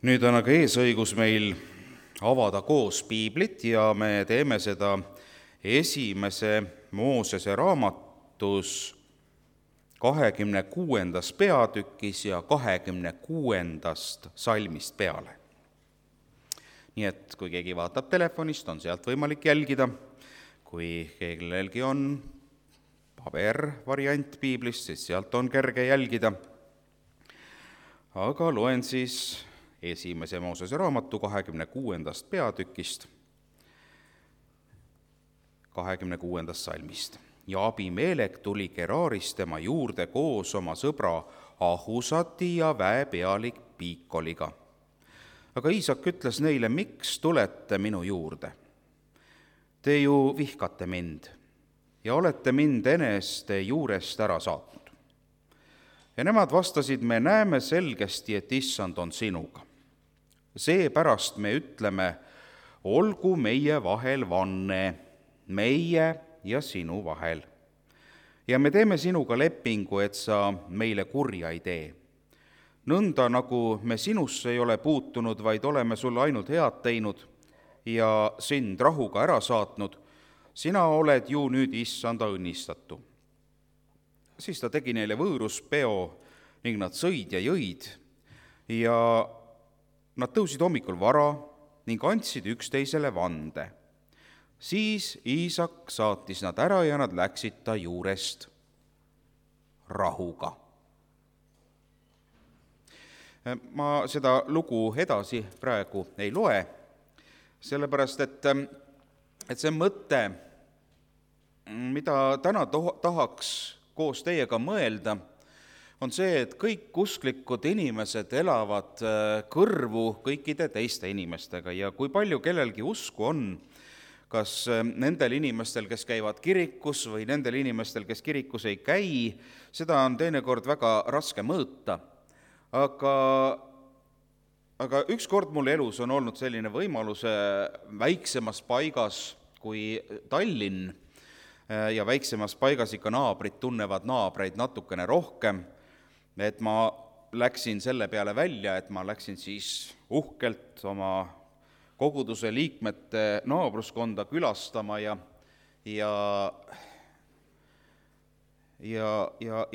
Nüüd on aga eesõigus meil avada koos piiblit ja me teeme seda esimese Moosese raamatus 26. peatükis ja 26. salmist peale. Nii et kui keegi vaatab telefonist, on sealt võimalik jälgida. Kui kellelgi on pabervariant piiblist, siis sealt on kerge jälgida. Aga loen siis esimese Moosese raamatu 26. peatükist, 26. salmist. Ja Abimelek tuli Gerarist tema juurde koos oma sõbra Ahusati ja väepealik Piikoliga. Aga Iisak ütles neile, miks tulete minu juurde? Te ju vihkate mind ja olete mind eneste juurest ära saatnud. Ja nemad vastasid, me näeme selgesti, et issand on sinuga. Seepärast me ütleme, olgu meie vahel vanne, meie ja sinu vahel. Ja me teeme sinuga lepingu, et sa meile kurja ei tee. Nõnda nagu me sinusse ei ole puutunud, vaid oleme sulle ainult head teinud ja sind rahuga ära saatnud, sina oled ju nüüd issanda õnnistatu. Siis ta tegi neile võõruspeo ning nad sõid ja jõid ja nad tõusid hommikul vara ning andsid üksteisele vande. Siis Iisak saatis nad ära ja nad läksid ta juurest rahuga. Ma seda lugu edasi praegu ei loe, sellepärast et see mõte, mida täna tahaks koos teiega mõelda, on see, et kõik usklikud inimesed elavad kõrvu kõikide teiste inimestega ja kui palju kellelgi usku on, kas nendel inimestel, kes käivad kirikus või nendel inimestel, kes kirikus ei käi, seda on teinekord väga raske mõõta. Aga ükskord mul elus on olnud selline võimalus väiksemas paigas kui Tallinn ja väiksemas paigas ikka naabrid tunnevad naabreid natukene rohkem, et ma läksin selle peale välja, et ma läksin siis uhkelt oma koguduse liikmete naabruskonda külastama ja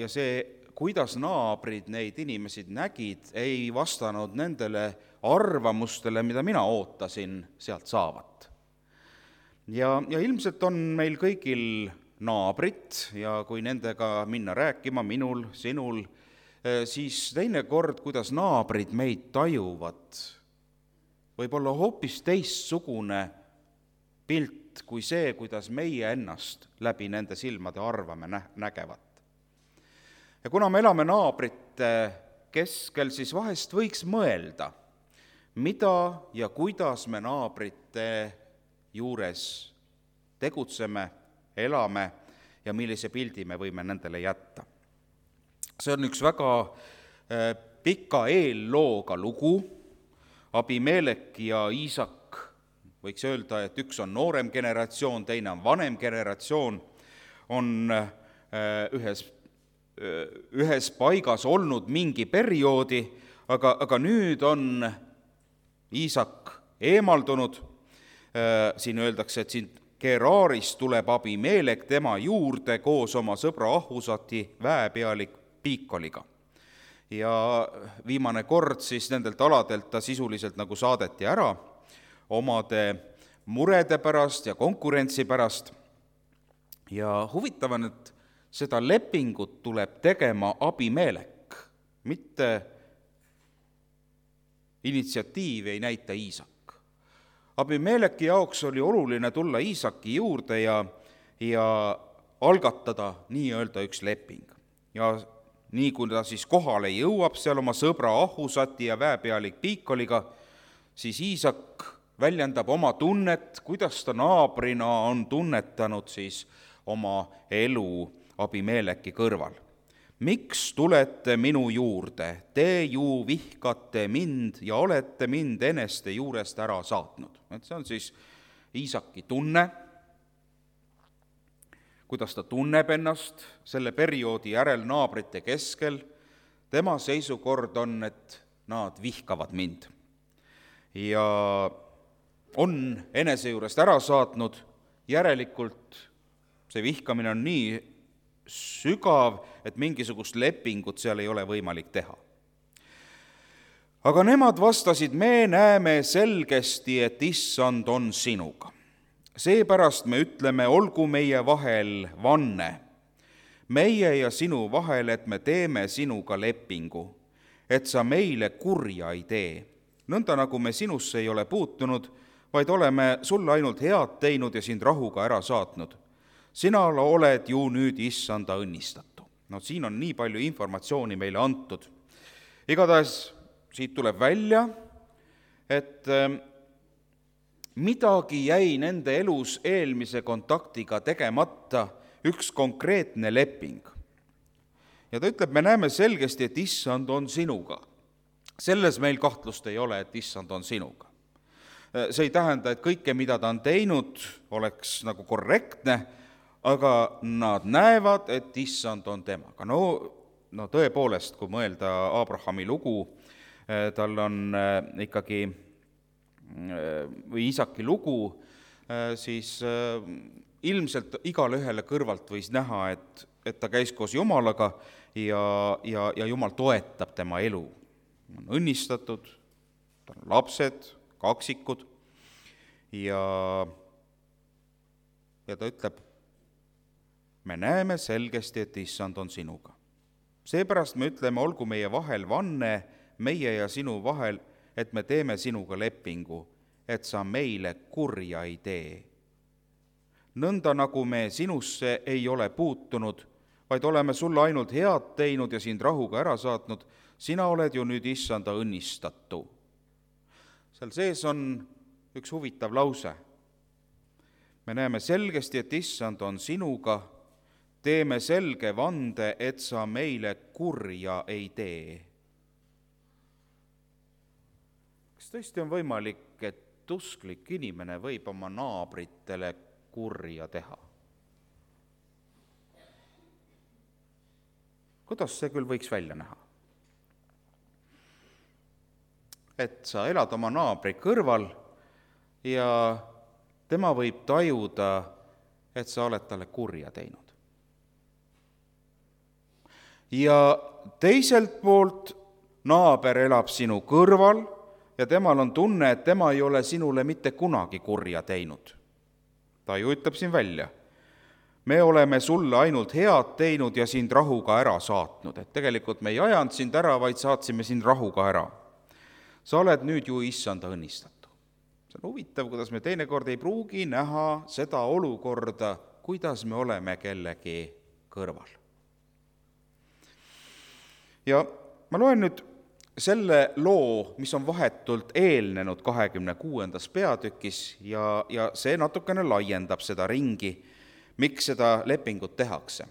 see, kuidas naabrid neid inimesi nägid, ei vastanud nendele arvamustele, mida mina ootasin sealt saavat. Ja ilmselt on meil kõigil naabrid ja kui nendega minna rääkima, minul, sinul, siis teinekord, kuidas naabrid meid tajuvad, võib olla hoopis teistsugune pilt kui see, kuidas meie ennast läbi nende silmade arvame nägevat. Ja kuna me elame naabrite keskel, siis vahest võiks mõelda, mida ja kuidas me naabrite juures tegutseme, elame ja millise pildi me võime nendele jätta. See on üks väga pika eellooga lugu. Abimelek ja Iisak, võiks öelda, et üks on noorem generatsioon, teine on vanem generatsioon, on ühes paigas olnud mingi perioodi, aga nüüd on Iisak eemaldunud. Siin öeldakse, et siin Gerarist tuleb Abimelek tema juurde koos oma sõbra Ahusati väepealik Piikoliga. Ja viimane kord siis nendelt aladelt ta sisuliselt nagu saadeti ära omade murede pärast ja konkurentsi pärast. Ja huvitav on, et seda lepingut tuleb tegema Abimelek, mitte initsiatiivi ei näita Iisak. Abimeleki jaoks oli oluline tulla Iisaki juurde ja algatada nii-öelda üks leping. Ja nii kui ta siis kohale jõuab seal oma sõbra Ahusati ja väepealik Piikoliga, siis Iisak väljendab oma tunnet, kuidas ta naabrina on tunnetanud siis oma elu Abimeleki kõrval. Miks tulete minu juurde? Te ju vihkate mind ja olete mind eneste juurest ära saatnud. Et see on siis Iisaki tunne, kuidas ta tunneb ennast selle perioodi järel naabrite keskel. Tema seisukord on, et nad vihkavad mind. ja on enese juurest ära saatnud, järelikult see vihkamine on nii sügav, et mingisugust lepingut seal ei ole võimalik teha. Aga nemad vastasid, me näeme selgesti, et issand on sinuga. Seepärast me ütleme, olgu meie vahel vanne, meie ja sinu vahel, et me teeme sinuga lepingu, et sa meile kurja ei tee, nõnda nagu me sinusse ei ole puutunud, vaid oleme sulle ainult head teinud ja sind rahuga ära saatnud. Sina oled ju nüüd issanda õnnistatu. No siin on nii palju informatsiooni meile antud. Igatahes siit tuleb välja, et midagi jäi nende elus eelmise kontaktiga tegemata, üks konkreetne leping. Ja ta ütleb, me näeme selgesti, et issand on sinuga. Selles meil kahtlust ei ole, et issand on sinuga. See ei tähenda, et kõike, mida ta on teinud, oleks nagu korrektne, aga nad näevad, et issand on temaga. No tõepoolest, kui mõelda Abrahami lugu, tal on ikkagi, või Iisaki lugu, siis ilmselt igale ühele kõrvalt võis näha, et ta käis koos Jumalaga ja Jumal toetab tema elu. On õnnistatud, tal on lapsed, kaksikud ja ta ütleb, me näeme selgesti, et issand on sinuga. Seepärast me ütleme, olgu meie vahel vanne, meie ja sinu vahel, et me teeme sinuga lepingu, et sa meile kurja ei tee. Nõnda nagu me sinusse ei ole puutunud, vaid oleme sulle ainult head teinud ja sind rahuga ära saatnud, sina oled ju nüüd issanda õnnistatu. Seal sees on üks huvitav lause. Me näeme selgesti, et issand on sinuga, teeme selge vande, et sa meile kurja ei tee. Kas tõesti on võimalik, et usklik inimene võib oma naabritele kurja teha? Kuidas see küll võiks välja näha? Et sa elad oma naabri kõrval ja tema võib tajuda, et sa oled talle kurja teinud. Ja teiselt poolt naaber elab sinu kõrval ja temal on tunne, et tema ei ole sinule mitte kunagi kurja teinud. Ta ju ütleb siin välja, me oleme sulle ainult head teinud ja sind rahuga ära saatnud. Et tegelikult me ei ajanud sind ära, vaid saatsime sind rahuga ära. Sa oled nüüd ju issanda õnnistatu. See on huvitav, kuidas me teinekord ei pruugi näha seda olukorda, kuidas me oleme kellegi kõrval. Ja ma loen nüüd selle loo, mis on vahetult eelnenud 26. peatükis ja see natukene laiendab seda ringi, miks seda lepingut tehakse.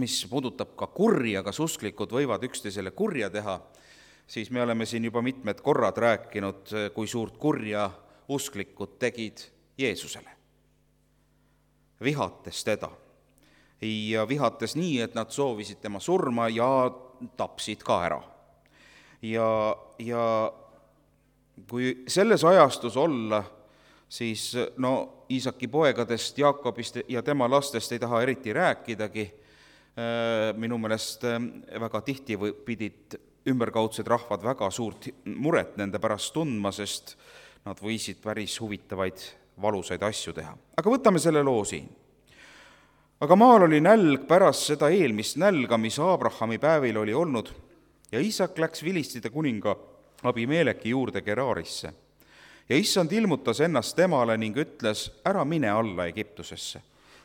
Mis puudutab ka kurja, kas usklikud võivad üksteisele kurja teha, siis me oleme siin juba mitmed korrad rääkinud, kui suurt kurja usklikud tegid Jeesusele. Vihates teda. Ja vihates nii, et nad soovisid tema surma ja tapsid ka ära. Ja kui selles ajastus olla, siis Iisaki poegadest, Jaakobist ja tema lastest ei taha eriti rääkidagi. Minu meelest väga tihti pidid ümberkaudsed rahvad väga suurt muret nende pärast tundma, sest nad võisid päris huvitavaid valusaid asju teha. Aga võtame selle loo siin. Aga maal oli nälg pärast seda eelmist nälga, mis Abrahami päevil oli olnud, ja Iisak läks Filistide kuninga Abimeleki juurde Geraarisse. Ja issand ilmutas ennast temale ning ütles, ära mine alla Egiptusesse.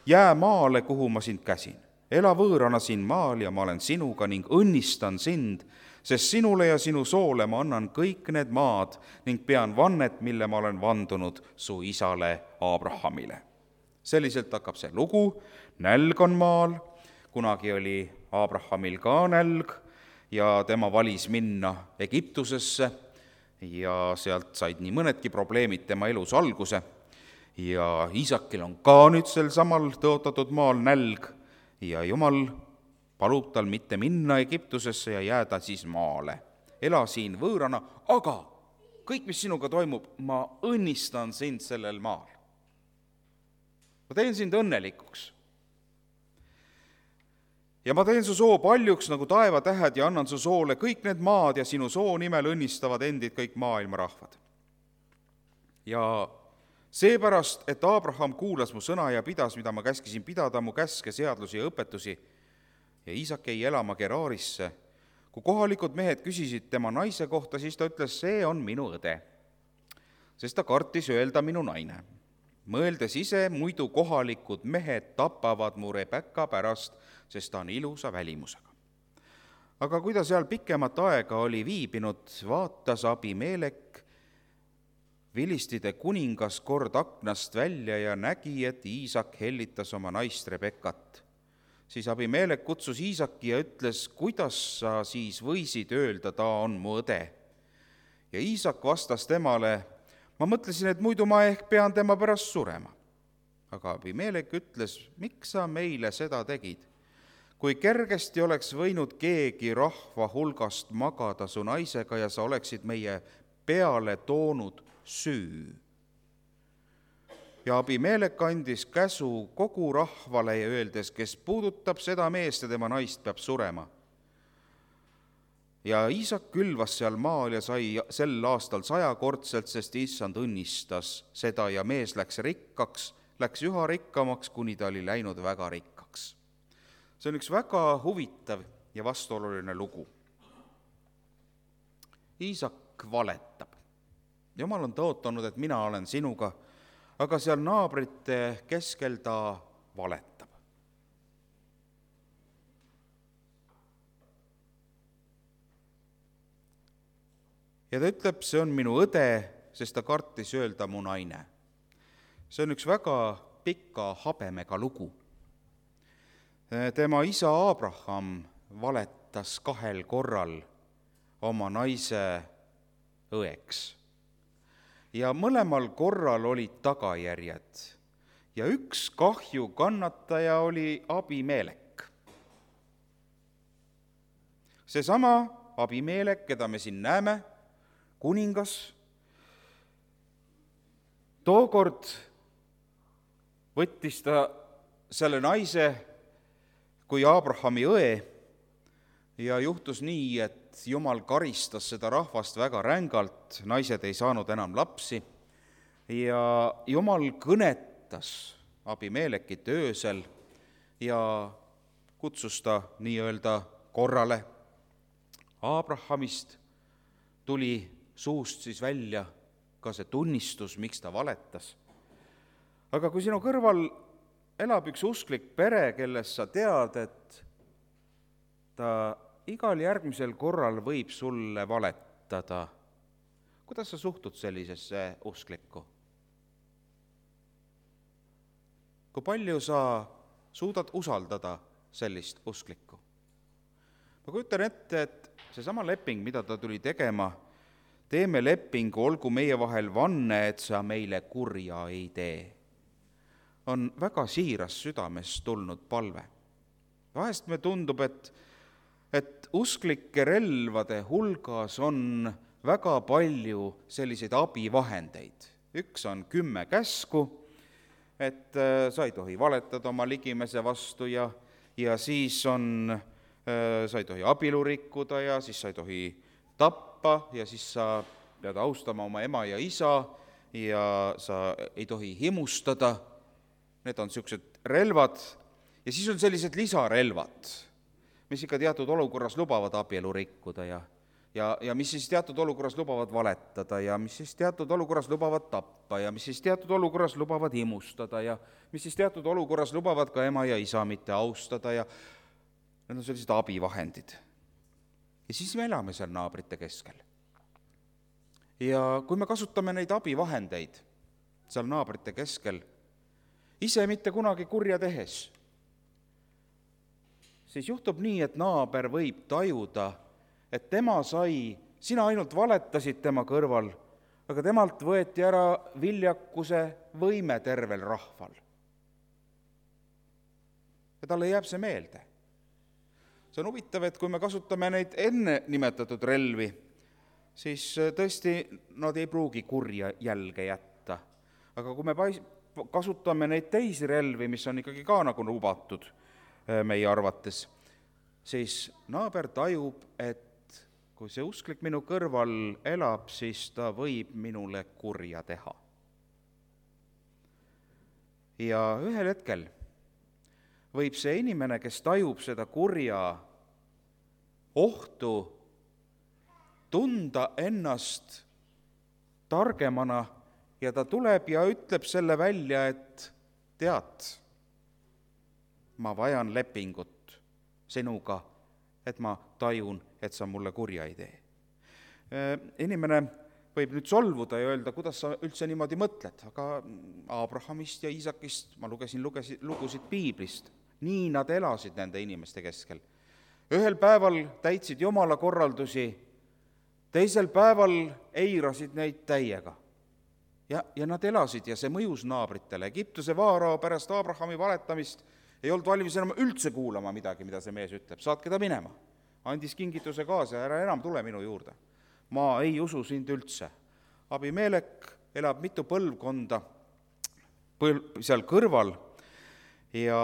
Jää maale, kuhu ma sind käsin. Ela võõrana siin maal ja ma olen sinuga ning õnnistan sind, sest sinule ja sinu soole ma annan kõik need maad ning pean vannet, mille ma olen vandunud su isale Abrahamile. Selliselt hakkab see lugu, nälg on maal, kunagi oli Abrahamil ka nälg ja tema valis minna Egiptusesse ja sealt said nii mõnedki probleemid tema elus alguse ja Iisakil on ka nüüd sel samal tõotatud maal nälg ja Jumal palub tal mitte minna Egiptusesse ja jääda siis maale. Ela siin võõrana, aga kõik, mis sinuga toimub, ma õnnistan sind sellel maal. Ma teen sind õnnelikuks. Ja ma teen su soo paljuks nagu taevatähed ja annan su soole kõik need maad ja sinu soo nimel õnnistavad endid kõik maailma rahvad. Ja seepärast, et Abraham kuulas mu sõna ja pidas, mida ma käskisin pidada, mu käske, seadusi ja õpetusi, ja Iisak jäi elama Geraarisse. Kui kohalikud mehed küsisid tema naise kohta, siis ta ütles, see on minu õde, sest ta kartis öelda minu naine. Mõeldes ise, muidu kohalikud mehed tapavad mu Rebecca pärast, sest ta on ilusa välimusega. Aga kui ta seal pikemat aega oli viibinud, vaatas Abimelek, Vilistide kuningas, kord aknast välja ja nägi, et Iisak hellitas oma naist Rebeccat. Siis Abimelek kutsus Iisaki ja ütles, kuidas sa siis võisid öelda, ta on mu õde. Ja Iisak vastas temale, ma mõtlesin, et muidu ma ehk pean tema pärast surema. Aga Abimelek ütles, miks sa meile seda tegid? Kui kergesti oleks võinud keegi rahva hulgast magada su naisega ja sa oleksid meie peale toonud süü. Ja Abimelek andis käsu kogu rahvale ja öeldes, kes puudutab seda meest ja tema naist, peab surema. Ja Iisak külvas seal maal ja sai sel aastal 100-kordselt, sest issand õnnistas seda ja mees läks rikkaks, läks üha rikkamaks, kuni ta oli läinud väga rikkaks. See on üks väga huvitav ja vastuoluline lugu. Iisak valetab. Jumal on tõotanud, et mina olen sinuga, aga seal naabrite keskel ta valetab. Ja ta ütleb, see on minu õde, sest ta kartis öelda mu naine. See on üks väga pika habemega lugu. Tema isa Abraham valetas 2 korral oma naise õeks. Ja mõlemal korral olid tagajärjed. Ja üks kahju kannataja oli Abimelek. Seesama Abimelek, keda me siin näeme, kuningas, tookord võttis ta selle naise kui Abrahami õe ja juhtus nii, et Jumal karistas seda rahvast väga rängalt, naised ei saanud enam lapsi ja Jumal kõnetas Abimelekit öösel ja kutsus ta nii-öelda korrale. Abrahamist tuli suust siis välja ka see tunnistus, miks ta valetas. Aga kui sinu kõrval elab üks usklik pere, kelles sa tead, et ta igal järgmisel korral võib sulle valetada, kuidas sa suhtud sellisesse usklikku? Kui palju sa suudad usaldada sellist usklikku? Ma kujutan ette, et seesama leping, mida ta tuli tegema, teeme lepingu, olgu meie vahel vanne, et sa meile kurja ei tee, on väga siiras südamest tulnud palve. Vahest me tundub, et usklike relvade hulgas on väga palju selliseid abivahendeid. Üks on 10 käsku, et sa ei tohi valetada oma ligimese vastu ja siis on, sa ei tohi abielu rikkuda ja siis sa ei tohi tappa ja siis sa pead austama oma ema ja isa ja sa ei tohi himustada. Need on niisugused relvad ja siis on sellised lisarelvad, mis ikka teatud olukorras lubavad abielu rikkuda ja mis siis teatud olukorras lubavad valetada ja mis siis teatud olukorras lubavad tappa ja mis siis teatud olukorras lubavad himustada ja mis siis teatud olukorras lubavad ka ema ja isa mitte austada ja need on sellised abivahendid. Ja siis me elame seal naabrite keskel. Ja kui me kasutame neid abivahendeid seal naabrite keskel, ise mitte kunagi kurja tehes, siis juhtub nii, et naaber võib tajuda, et tema sai, sina ainult valetasid tema kõrval, aga temalt võeti ära viljakuse võime tervel rahval. Ja talle jääb see meelde. See on huvitav, et kui me kasutame neid enne nimetatud relvi, siis tõesti nad ei pruugi kurja jälge jätta. Aga kui me kasutame neid teisi relvi, mis on ikkagi ka nagu lubatud meie arvates, siis naaber tajub, et kui see usklik minu kõrval elab, siis ta võib minule kurja teha. Ja ühel hetkel võib see inimene, kes tajub seda kurja ohtu, tunda ennast targemana ja ta tuleb ja ütleb selle välja, et tead, ma vajan lepingut sinuga, et ma tajun, et sa mulle kurja ei tee. Inimene võib nüüd solvuda ja öelda, kuidas sa üldse niimoodi mõtled, aga Abrahamist ja Iisakist ma lugesin lugusid piiblist. Nii nad elasid nende inimeste keskel. Ühel päeval täitsid Jumala korraldusi, teisel päeval eirasid neid täiega. Ja nad elasid ja see mõjus naabritele. Egiptuse vaarao pärast Abrahami valetamist ei olnud valmis enam üldse kuulama midagi, mida see mees ütleb. Saatke ta minema. Andis kingituse kaasa, ära enam tule minu juurde. Ma ei usu sind üldse. Abimelek elab mitu põlvkonda seal kõrval ja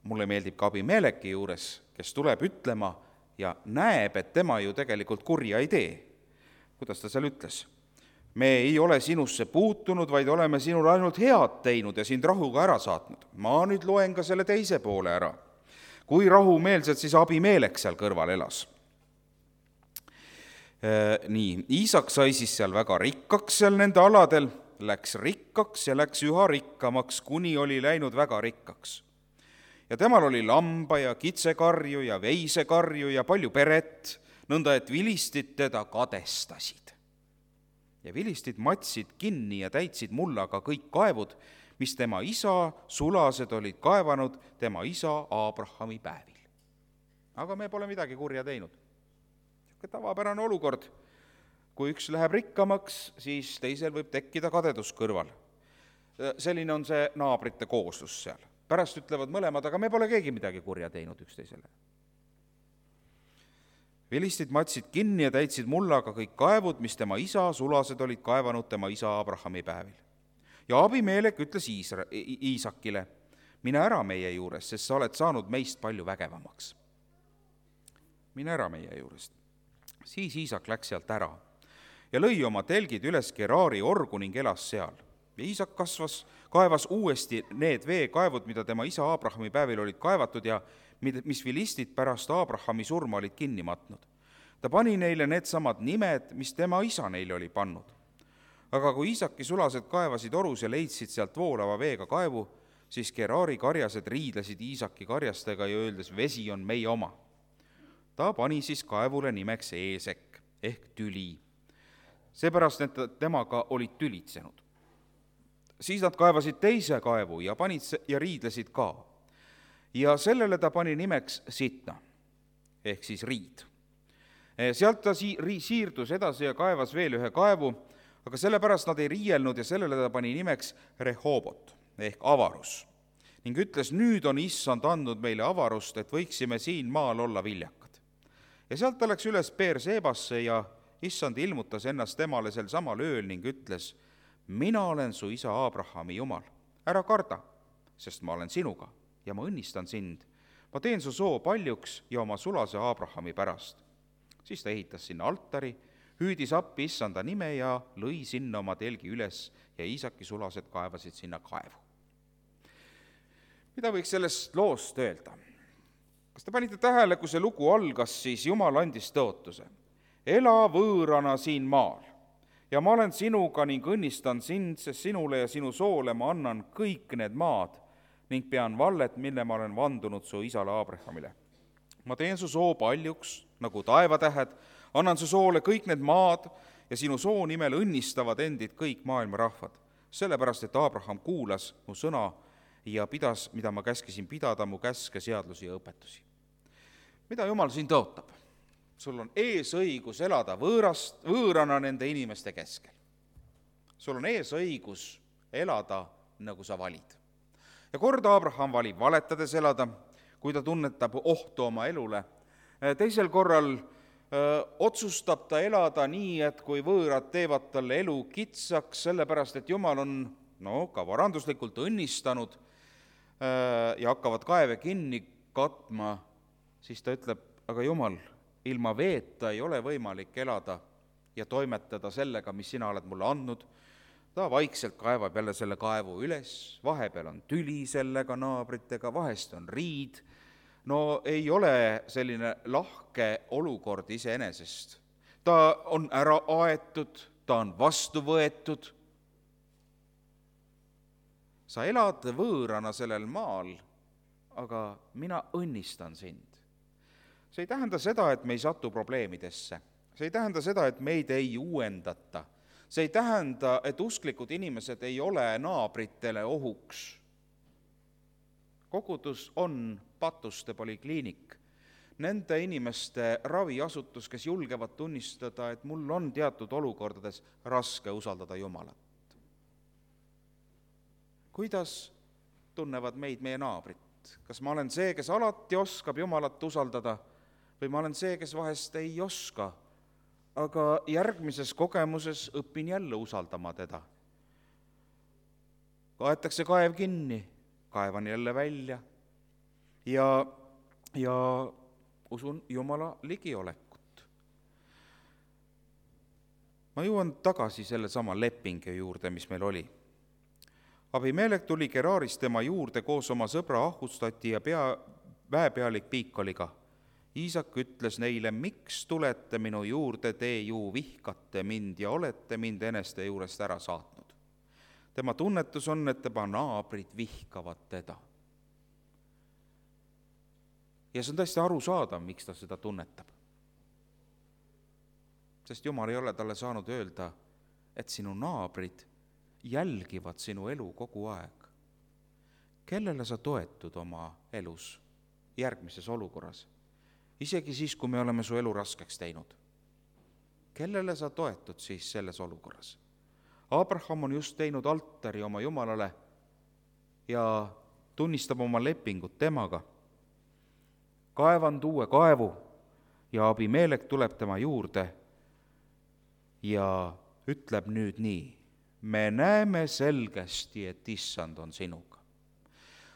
mulle meeldib ka Abimeleki juures, kes tuleb ütlema ja näeb, et tema ju tegelikult kurja ei tee. Kuidas ta seal ütles? Me ei ole sinusse puutunud, vaid oleme sinule ainult head teinud ja sind rahuga ära saatnud. Ma nüüd loen ka selle teise poole ära. Kui rahumeelselt siis Abimelek seal kõrval elas. Nii, Iisak sai siis seal väga rikkaks seal nende aladel, läks rikkaks ja läks üha rikkamaks, kuni oli läinud väga rikkaks. Ja temal oli lamba ja kitsekarju ja veisekarju ja palju peret, nõnda et vilistid teda kadestasid. Ja vilistid matsid kinni ja täitsid mullaga kõik kaevud, mis tema isa sulased olid kaevanud tema isa Abrahami päevil. Aga me pole midagi kurja teinud. Tavapärane olukord. Kui üks läheb rikkamaks, siis teisel võib tekkida kadedus kõrval. Selline on see naabrite kooslus seal. Pärast ütlevad mõlemad, aga me pole keegi midagi kurja teinud üksteisele. Vilistid matsid kinni ja täitsid mullaga kõik kaevud, mis tema isa sulased olid kaevanud tema isa Abrahami päevil. Ja Abimelek ütles Iisakile, mine ära meie juures, sest sa oled saanud meist palju vägevamaks. Mine ära meie juurest. Siis Iisak läks sealt ära ja lõi oma telgid üles Geraari orgu ning elas seal. Ja Iisak kaevas uuesti need veekaevud, mida tema isa Abrahami päevil olid kaevatud ja mis vilistid pärast Abrahami surma olid kinni matnud. Ta pani neile need samad nimed, mis tema isa neile oli pannud. Aga kui Iisaki sulased kaevasid orus ja leidsid sealt voolava veega kaevu, siis Geraari karjased riidlesid Iisaki karjastega ja öeldes, vesi on meie oma. Ta pani siis kaevule nimeks Eesek ehk tüli, seepärast, et temaga olid tülitsenud. Siis nad kaevasid teise kaevu ja panid ja riidlesid ka. Ja sellele ta pani nimeks Sitna ehk siis riid. Sealt ta siirdus edasi ja kaevas veel ühe kaevu, aga sellepärast nad ei riielnud ja sellele ta pani nimeks Rehobot ehk avarus. Ning ütles, nüüd on issand andnud meile avarust, et võiksime siin maal olla viljakad. Ja sealt ta läks üles Beersebasse ja issand ilmutas ennast temale sel samal ööl ning ütles, mina olen su isa Abrahami Jumal, ära karda, sest ma olen sinuga ja ma õnnistan sind. Ma teen su soo paljuks ja oma sulase Abrahami pärast. Siis ta ehitas sinna altari, hüüdis appi issanda nime ja lõi sinna oma telgi üles ja Iisaki sulased kaevasid sinna kaevu. Mida võiks sellest loost öelda? Kas te panite tähele, kui see lugu algas, siis Jumal andis tõotuse. Ela võõrana siin maal ja ma olen sinuga ning õnnistan sind, sest sinule ja sinu soole ma annan kõik need maad ning pean vallet, mille ma olen vandunud su isale Abrahamile. Ma teen su soo paljuks, nagu taevatähed, annan su soole kõik need maad ja sinu soo nimel õnnistavad endid kõik maailma rahvad, sellepärast, et Abraham kuulas mu sõna ja pidas, mida ma käskisin pidada, mu käske, seadlusi ja õpetusi. Mida Jumal siin tõotab? Sul on eesõigus elada võõrana nende inimeste keskel. Sul on eesõigus elada, nagu sa valid. Ja kord Abraham valib valetades elada, kui ta tunnetab ohtu oma elule. Teisel korral otsustab ta elada nii, et kui võõrad teevad talle elu kitsaks, sellepärast et Jumal on ka varanduslikult õnnistanud ja hakkavad kaeve kinni katma, siis ta ütleb, aga Jumal, ilma veeta ei ole võimalik elada ja toimetada sellega, mis sina oled mulle andnud. Ta vaikselt kaevab jälle selle kaevu üles, vahepeal on tüli sellega naabritega, vahest on riid. No ei ole selline lahke olukord iseenesest. Ta on ära aetud, ta on vastu võetud. Sa elad võõrana sellel maal, aga mina õnnistan sind. See ei tähenda seda, et me ei satu probleemidesse. See ei tähenda seda, et meid ei uuendata. See ei tähenda, et usklikud inimesed ei ole naabritele ohuks. Kogudus on Patuste polikliinik. Nende inimeste raviasutus, kes julgevad tunnistada, et mul on teatud olukordades raske usaldada Jumalat. Kuidas tunnevad meid meie naabrit? Kas ma olen see, kes alati oskab Jumalat usaldada, või ma olen see, kes vahest ei oska, aga järgmises kogemuses õpin jälle usaldama teda. Kaetakse kaev kinni, kaevan jälle välja ja usun Jumala ligiolekut. Ma jõuan tagasi selle sama lepingu juurde, mis meil oli. Abimelek tuli Geraaris tema juurde koos oma sõbra Ahustati ja väepealik Piikoliga. Iisak ütles neile, miks tulete minu juurde, te ju vihkate mind ja olete mind eneste juurest ära saatnud. Tema tunnetus on, et tema naabrid vihkavad teda. Ja see on tõesti arusaadav, miks ta seda tunnetab. Sest Jumal ei ole talle saanud öelda, et sinu naabrid jälgivad sinu elu kogu aeg. Kellele sa toetud oma elus järgmises olukorras? Isegi siis, kui me oleme su elu raskeks teinud. Kellele sa toetud siis selles olukorras? Abraham on just teinud altari oma Jumalale ja tunnistab oma lepingut temaga. Kaevand uue kaevu ja Abimelek tuleb tema juurde ja ütleb nüüd nii, me näeme selgesti, et Issand on sinuga.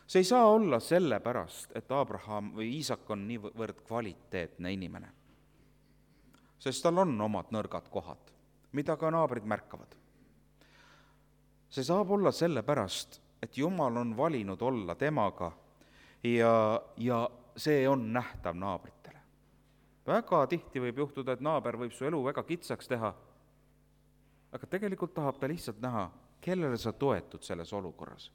See ei saa olla sellepärast, et Abraham või Iisak on niivõrd kvaliteetne inimene. Sest tal on omad nõrgad kohad, mida ka naabrid märkavad. See saab olla sellepärast, et Jumal on valinud olla temaga ja see on nähtav naabritele. Väga tihti võib juhtuda, et naaber võib su elu väga kitsaks teha, aga tegelikult tahab ta lihtsalt näha, kellele sa toetud selles olukorras.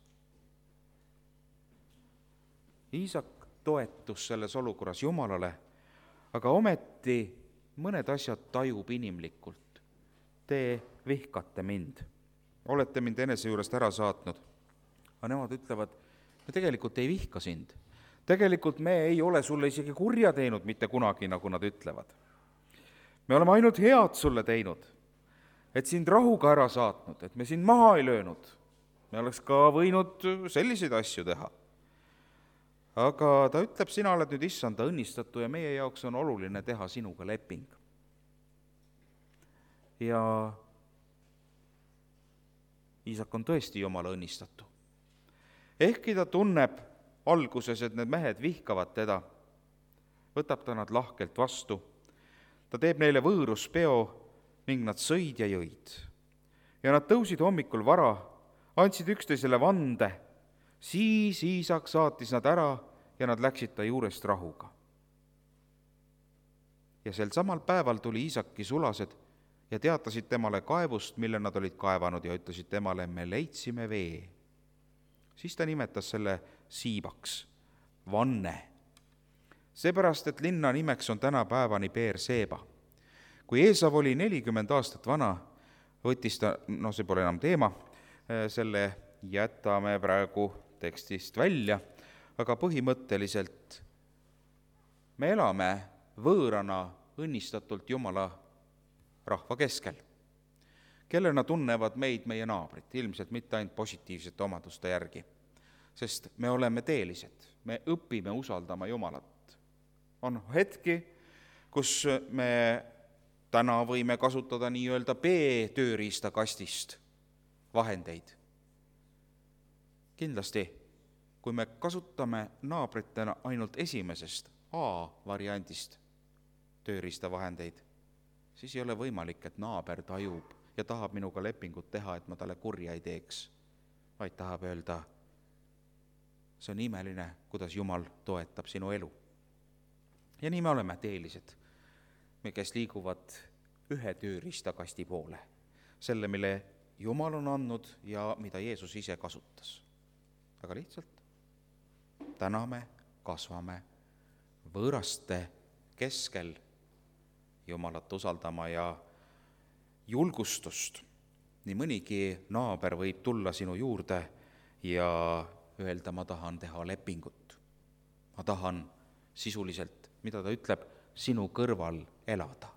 Iisak toetus selles olukorras Jumalale, aga ometi mõned asjad tajub inimlikult. Te vihkate mind, olete mind enese juurest ära saatnud. Aga nemad ütlevad, me tegelikult ei vihka sind. Tegelikult me ei ole sulle isegi kurja teinud mitte kunagi, nagu nad ütlevad. Me oleme ainult head sulle teinud, et sind rahuga ära saatnud, et me sind maha ei löönud. Me oleks ka võinud selliseid asju teha. Aga ta ütleb, sina oled nüüd Issanda õnnistatu ja meie jaoks on oluline teha sinuga leping. Ja Iisak on tõesti Jumala õnnistatu. Ehkki ta tunneb alguses, et need mehed vihkavad teda, võtab ta nad lahkelt vastu. Ta teeb neile võõruspeo ning nad sõid ja jõid. Ja nad tõusid hommikul vara, andsid üksteisele vande, siis Iisak saatis nad ära ja nad läksid ta juurest rahuga. Ja sel samal päeval tuli Iisaki sulased ja teatasid temale kaevust, mille nad olid kaevanud ja ütlesid temale, me leidsime vee. Siis ta nimetas selle Siibaks, vanne. Seepärast, et linna nimeks on tänapäevani Beer-Seeba. Kui Eesav oli 40 aastat vana, võttis ta, see pole enam teema, selle jätame praegu tekstist välja, aga põhimõtteliselt me elame võõrana õnnistatult Jumala rahva keskel, kellena tunnevad meid meie naabrid, ilmselt mitte ainult positiivsete omaduste järgi, sest me oleme teelised, me õpime usaldama Jumalat. On hetki, kus me täna võime kasutada nii-öelda B-tööriistakastist vahendeid. Kindlasti, kui me kasutame naabritena ainult esimesest A-variandist tööriistavahendeid, siis ei ole võimalik, et naaber tajub ja tahab minuga lepingut teha, et ma talle kurja ei teeks, vaid tahab öelda, see on imeline, kuidas Jumal toetab sinu elu. Ja nii me oleme teelised, kes liiguvad ühe tööriistakasti poole, selle, mille Jumal on andnud ja mida Jeesus ise kasutas. Aga lihtsalt täname, kasvame võõraste keskel Jumalat usaldama ja julgustust. Nii mõnigi naaber võib tulla sinu juurde ja öelda, ma tahan teha lepingut. Ma tahan sisuliselt, mida ta ütleb, sinu kõrval elada.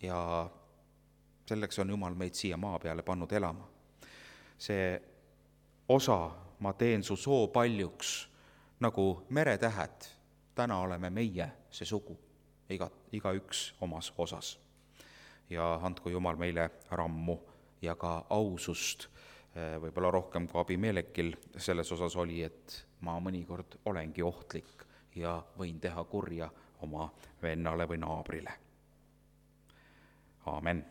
Ja selleks on Jumal meid siia maa peale pannud elama. See osa, ma teen su soo paljuks, nagu meretähed, täna oleme meie see sugu, igaüks omas osas. Ja andku Jumal meile rammu ja ka ausust, võib-olla rohkem kui Abimelekil selles osas oli, et ma mõnikord olengi ohtlik ja võin teha kurja oma vennale või naabrile. Aamen.